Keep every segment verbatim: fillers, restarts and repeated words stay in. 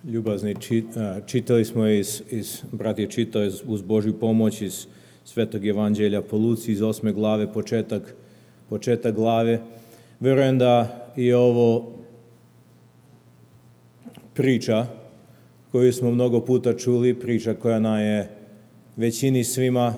Ljubazni, čitali smo iz, iz brat je čitao iz, uz Božju pomoć iz Svetog Evanđelja po Luci iz osme glave, početak, početak glave. Vjerujem da je ovo priča koju smo mnogo puta čuli, priča koja nam je većini svima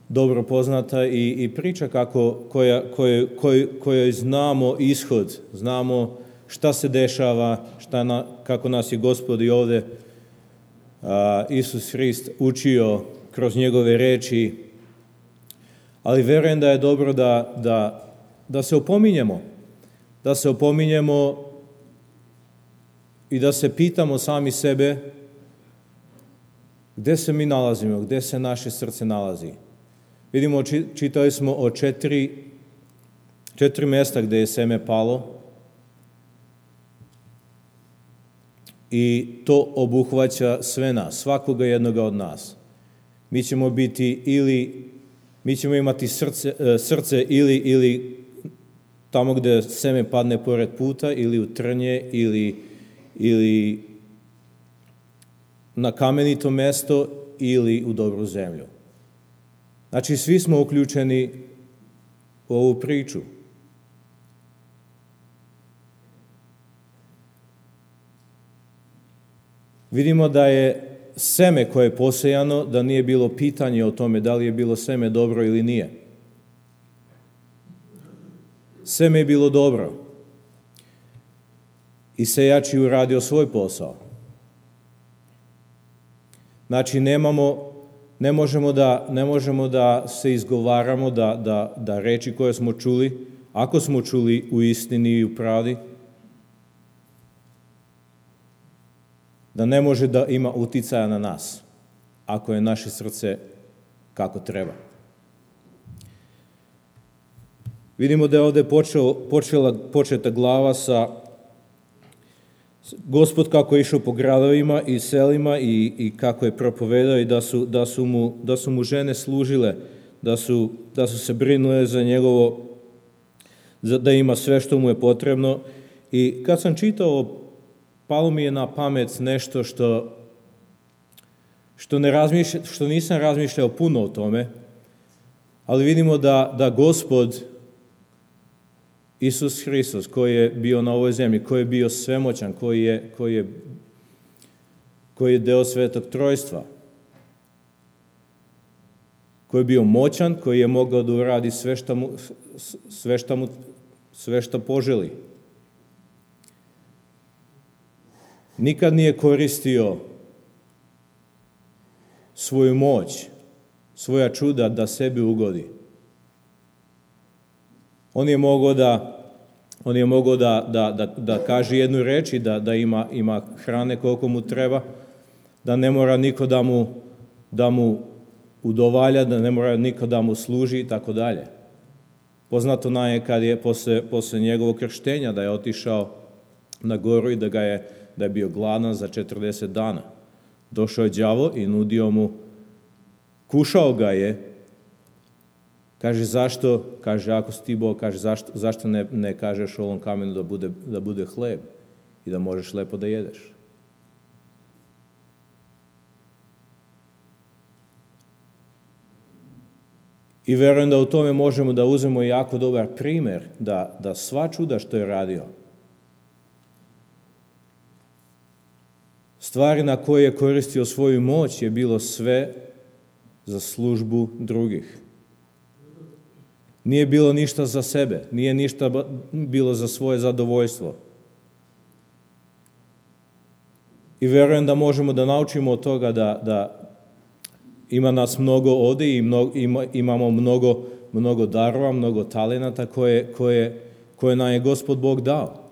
dobro poznata i, i priča kako, koja, koja, koja, kojoj znamo ishod, znamo šta se dešava, šta na, kako nas je Gospod i ovdje a, Isus Hrist učio kroz njegove reči, ali vjerujem da je dobro da, da, da se opominjemo, da se opominjemo i da se pitamo sami sebe gdje se mi nalazimo, gdje se naše srce nalazi. Vidimo, čitali smo o četiri, četiri mjesta gdje je seme palo i to obuhvaća sve nas, svakoga jednoga od nas. Mi ćemo biti ili, mi ćemo imati srce, srce ili, ili tamo gdje seme padne pored puta, ili u trnje, ili, ili na kamenito mjesto, ili u dobru zemlju. Znači, svi smo uključeni u ovu priču. Vidimo da je seme koje je posejano, da nije bilo pitanje o tome da li je bilo seme dobro ili nije. Seme je bilo dobro. I sejač je uradio svoj posao. Znači, nemamo, ne možemo da, ne možemo da se izgovaramo da, da, da reči koje smo čuli, ako smo čuli u istini i u pravdi, da ne može da ima uticaja na nas, ako je naše srce kako treba. Vidimo da je ovdje počeo, počela, početa glava sa Gospod kako je išao po gradovima i selima i, i kako je propovedao i da su, da su, mu, da su mu žene služile, da su, da su se brinule za njegovo, za, da ima sve što mu je potrebno. I kad sam čitao, palo mi je na pamet nešto što, što, ne razmišlja, što nisam razmišljao puno o tome, ali vidimo da, da Gospod Isus Hristos, koji je bio na ovoj zemlji, koji je bio svemoćan, koji je, koji je, koji je deo Svetog Trojstva, koji je bio moćan, koji je mogao da uradi sve što mu, sve što mu, sve što poželi. Nikad nije koristio svoju moć, svoja čuda da sebi ugodi. On je mogao da on je mogao da, da, da, da kaže jednu reč i da, da ima, ima hrane koliko mu treba, da ne mora niko da mu, da mu udovalja, da ne mora niko da mu služi i tako dalje. Poznato nam je kad je posle, posle njegovog krštenja da je otišao na goru i da, ga je, da je bio gladan za četrdeset dana. Došao je đavo i nudio mu, kušao ga je. Kaže, zašto? Kaže, ako si ti Bog, kaže, zašto, zašto ne, ne kažeš ovom kamenu da bude, da bude hleb i da možeš lepo da jedeš? I verujem da u tome možemo da uzmemo jako dobar primjer, da, da sva čuda što je radio, stvari na koje je koristio svoju moć je bilo sve za službu drugih. Nije bilo ništa za sebe, nije ništa bilo za svoje zadovoljstvo. I verujem da možemo da naučimo od toga da, da ima nas mnogo ovdje i mnogo, ima, imamo mnogo, mnogo darova, mnogo talenata koje, koje, koje nam je Gospod Bog dao.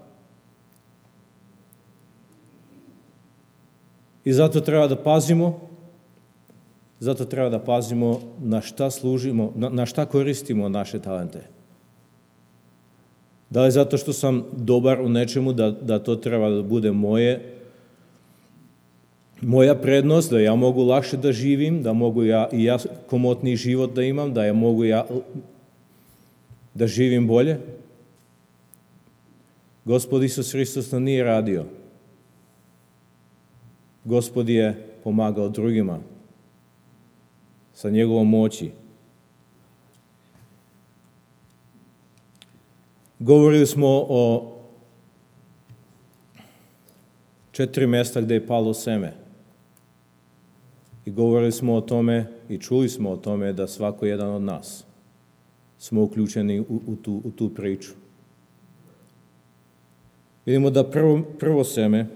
I zato treba da pazimo, zato treba da pazimo na šta služimo, na, na šta koristimo naše talente. Da li zato što sam dobar u nečemu, da, da to treba da bude moje, moja prednost, da ja mogu lakše da živim, da mogu ja, i ja komotniji život da imam, da ja mogu ja da živim bolje. Gospod Isus Hristos to nije radio. Gospod je pomagao drugima sa njegovom moći. Govorili smo o četiri mjesta gdje je palo seme. I govorili smo o tome i čuli smo o tome da svako jedan od nas smo uključeni u, u, tu, u tu priču. Vidimo da prvo, prvo seme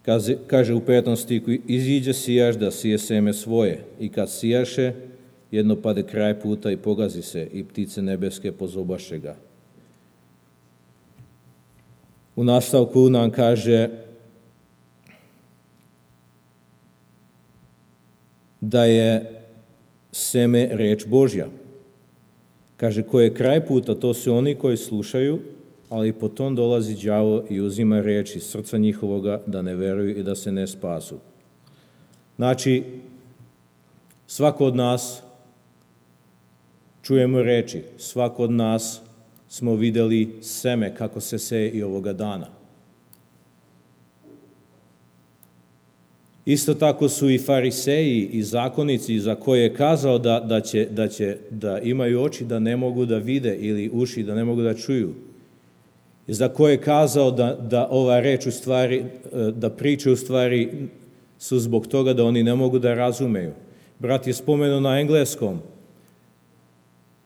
kaže, kaže u petom stiku, iziđe sijaš da sije seme svoje i kad sijaše, jedno pade kraj puta i pogazi se i ptice nebeske pozobaše ga. U nastavku nam kaže da je seme reč Božja. Kaže, ko je kraj puta, to su oni koji slušaju, ali potom dolazi đavo i uzima reč iz srca njihovoga da ne veruju i da se ne spasu. Znači, svako od nas čujemo reči, svako od nas smo vidjeli seme kako se seje i ovoga dana. Isto tako su i fariseji i zakonici za koje je kazao da, da, će, da, će, da imaju oči da ne mogu da vide ili uši da ne mogu da čuju. I za koje je kazao da, da ova reč u stvari, da priče u stvari su zbog toga da oni ne mogu da razumeju. Brat je spomenuo na engleskom.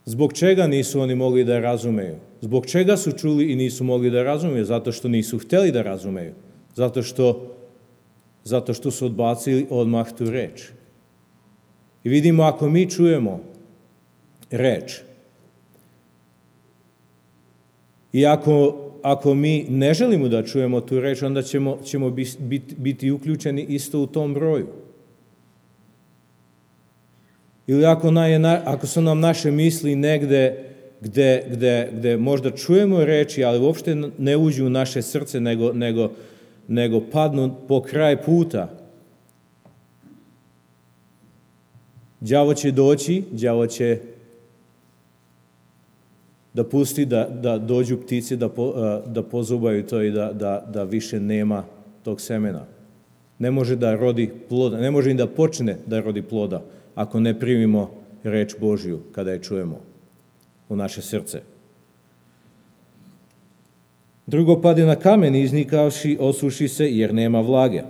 Zbog čega nisu oni mogli da razumeju? Zbog čega su čuli i nisu mogli da razumeju? Zato što nisu htjeli da razumeju. Zato što, zato što su odbacili odmah tu reč. I vidimo, ako mi čujemo reč, i ako, ako mi ne želimo da čujemo tu reč, onda ćemo, ćemo biti, biti uključeni isto u tom broju. Ili ako, na, ako su nam naše misli negde gde, gde, gde možda čujemo reči, ali uopšte ne uđu u naše srce, nego, nego, nego padnu po kraj puta, đavo će doći, đavo će da pusti da, da dođu ptici, da, po, da pozubaju to i da, da, da više nema tog semena. Ne može da rodi ploda, ne može ni da počne da rodi ploda, ako ne primimo reč Božju kada je čujemo u naše srce. Drugo pade na kamen, iznikavši, osuši se jer nema vlage.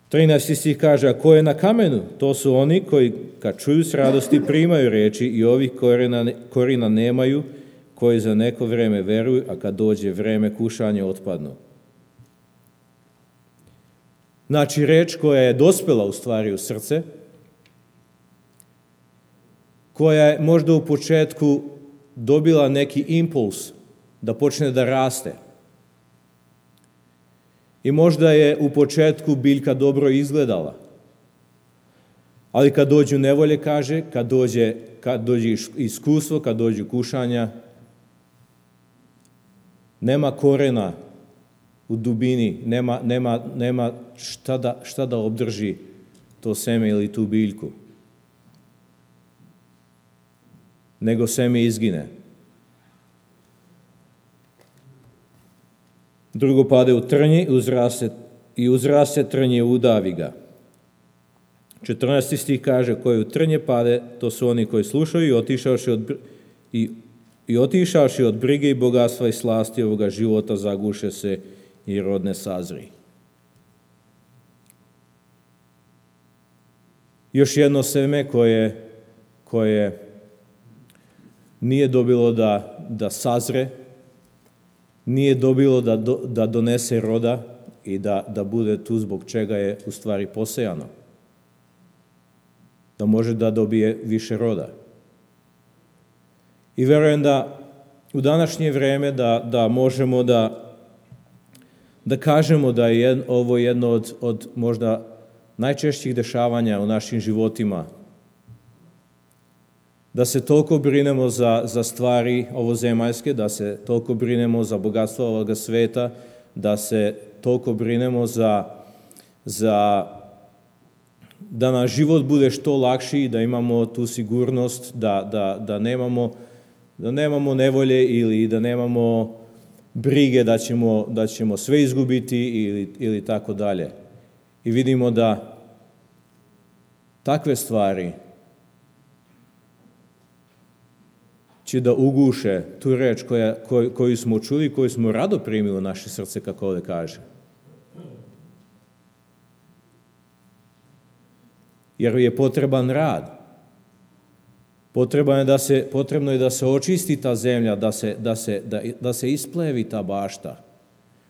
trinaesti stih kaže, a ko je na kamenu? To su oni koji kad čuju s radosti primaju reči i ovih korina, korina nemaju, koji za neko vreme veruju, a kad dođe vreme kušanja otpadnu. Znači, reč koja je dospela u stvari u srce, koja je možda u početku dobila neki impuls da počne da raste. I možda je u početku biljka dobro izgledala. Ali kad dođu nevolje, kaže, kad dođe, kad dođe iskustvo, kad dođu kušanja, nema korena u dubini, nema, nema, nema šta, da, šta da obdrži to seme ili tu biljku. Nego seme izgine. Drugo pade u trnje uzraste, i uzraste trnje udavi ga. četrnaesti stih kaže, koji u trnje pade, to su oni koji slušaju i otišavši od, i, i otišavši od brige i bogatstva i slasti ovoga života zaguše se i rodne sazri. Još jedno seme koje, koje nije dobilo da, da sazre, nije dobilo da, do, da donese roda i da, da bude tu zbog čega je u stvari posejano. Da može da dobije više roda. I verujem da u današnje vreme da, da možemo da, da kažemo da je jed, ovo jedno od, od možda najčešćih dešavanja u našim životima. Da se toliko brinemo za, za stvari ovozemaljske, da se toliko brinemo za bogatstvo ovoga sveta, da se toliko brinemo za, za da nam život bude što lakši, da imamo tu sigurnost, da, da, da, nemamo, da nemamo nevolje ili da nemamo brige da ćemo, da ćemo sve izgubiti ili, ili tako dalje. I vidimo da takve stvari će da uguše tu reč koja, koju, koju smo čuli, koju smo rado primili u naše srce, kako ovdje kaže. Jer je potreban rad. Potrebno je da se, potrebno je da se očisti ta zemlja, da se, da se, da, da se isplevi ta bašta,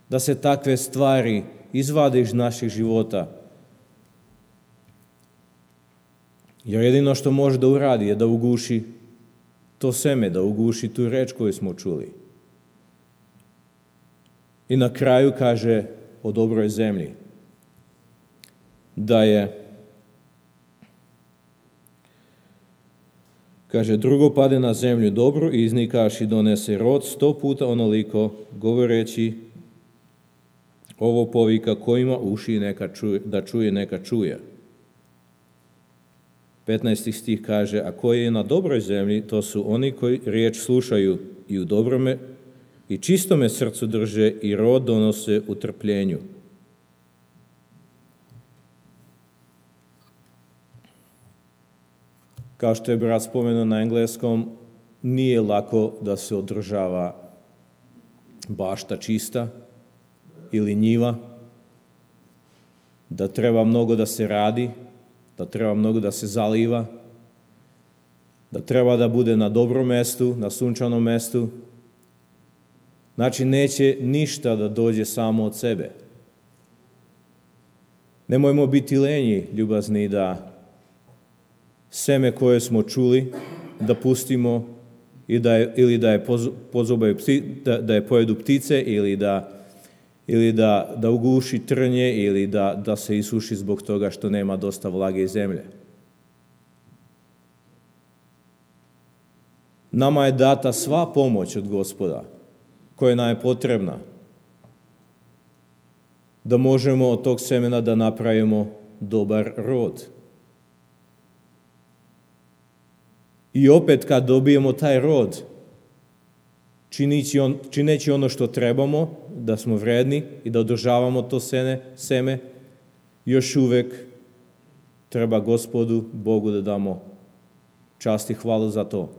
da se takve stvari izvade iz naših života. Jer jedino što može da uradi je da uguši to seme, da uguši tu reč koju smo čuli. I na kraju kaže o dobroj zemlji, da je, kaže, drugo pade na zemlju dobro i iznikaš i donese rod sto puta onoliko, govoreći, ovo povika ko ima uši neka čuje, da čuje, neka čuje. petnaesti stih kaže, a koji je na dobroj zemlji, to su oni koji riječ slušaju i u dobrome i čistome srcu drže i rod donose u trpljenju. Kao što je brat spomenuo na engleskom, nije lako da se održava bašta čista ili njiva, da treba mnogo da se radi, da treba mnogo da se zaliva, da treba da bude na dobrom mestu, na sunčanom mestu. Znači, neće ništa da dođe samo od sebe. Nemojmo biti lenji, ljubazni, da seme koje smo čuli, da pustimo i da je, ili da je, pozobaju, da, da je pojedu ptice ili da ili da, da uguši trnje, ili da, da se isuši zbog toga što nema dosta vlage i zemlje. Nama je data sva pomoć od Gospoda, koja nam je potrebna, da možemo od tog semena da napravimo dobar rod. I opet kad dobijemo taj rod, Čineći, on, čineći ono što trebamo, da smo vredni i da održavamo to sene, seme, još uvek treba Gospodu, Bogu da damo čast i hvalu za to.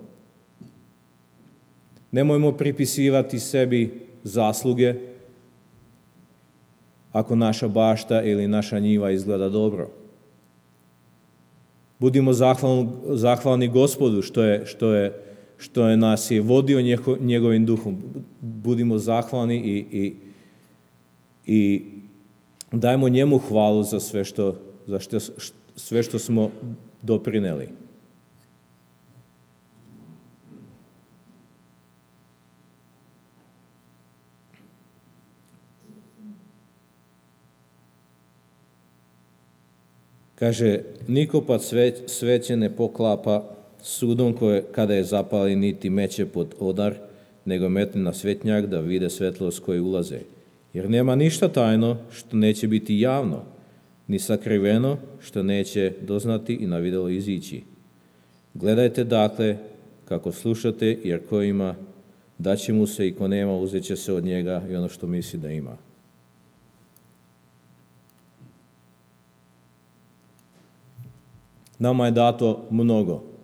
Nemojmo pripisivati sebi zasluge ako naša bašta ili naša njiva izgleda dobro. Budimo zahvalni, zahvalni Gospodu što je, što je što je nas je vodio njegovim duhom. Budimo zahvalni i, i, i dajmo njemu hvalu za sve što, za što, sve što smo doprineli. Kaže, niko pa sveće ne poklapa sudom koje, kada je zapali, niti meće pod odar, nego metne na svetnjak da vide svetlost koje ulaze. Jer nema ništa tajno što neće biti javno, ni sakriveno što neće doznati i na videlo izići. Gledajte dakle kako slušate, jer ko ima, daće mu se, i ko nema, uzet će se od njega i ono što misli da ima. Nama je dato mnogo.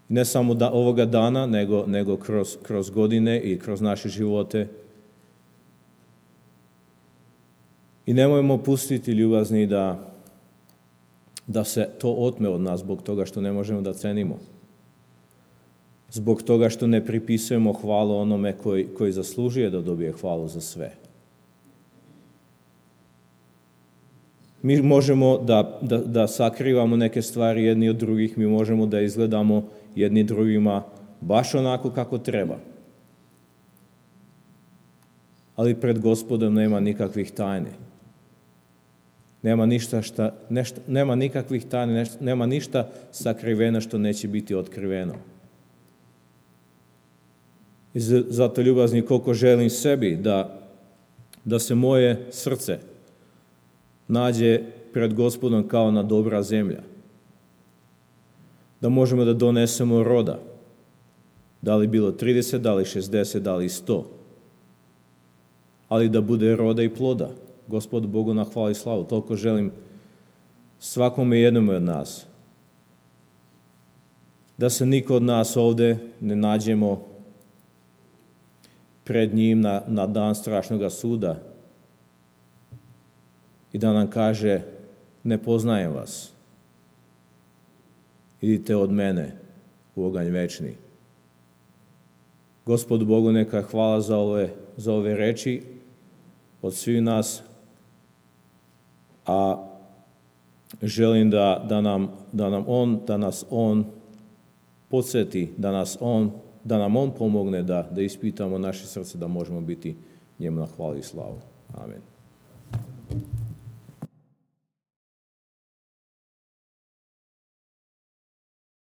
Ne samo da, ovoga dana, nego, nego kroz, kroz godine i kroz naše živote. I nemojmo pustiti, ljubazni, da, da se to otme od nas zbog toga što ne možemo da cenimo. Zbog toga što ne pripisujemo hvalu onome koji, koji zaslužuje da dobije hvalu za sve. Mi možemo da, da, da sakrivamo neke stvari jedni od drugih, mi možemo da izgledamo jedni drugima baš onako kako treba. Ali pred Gospodom nema nikakvih tajne. Nema ništa šta, nešta, nema nikakvih tajne, nešta, nema ništa sakriveno što neće biti otkriveno. I zato, ljubazni, koliko želim sebi da, da se moje srce nađe pred Gospodom kao na dobra zemlja. Da možemo da donesemo roda. Da li bilo trideset, da li šezdeset, da li sto. Ali da bude roda i ploda. Gospod Bogu na hvala i slavu. Toliko želim svakome jednom od nas. Da se niko od nas ovde ne nađemo pred njim na, na dan strašnog suda i da nam kaže: ne poznajem vas. Idite od mene u oganj večni. Gospodu Bogu neka hvala za ove, za ove reči od svih nas, a želim da, da, nam, da, nam on, da nas On podsjeti, da, nas on, da nam On pomogne da, da ispitamo naše srce, da možemo biti njemu na hvala i slavu. Amen.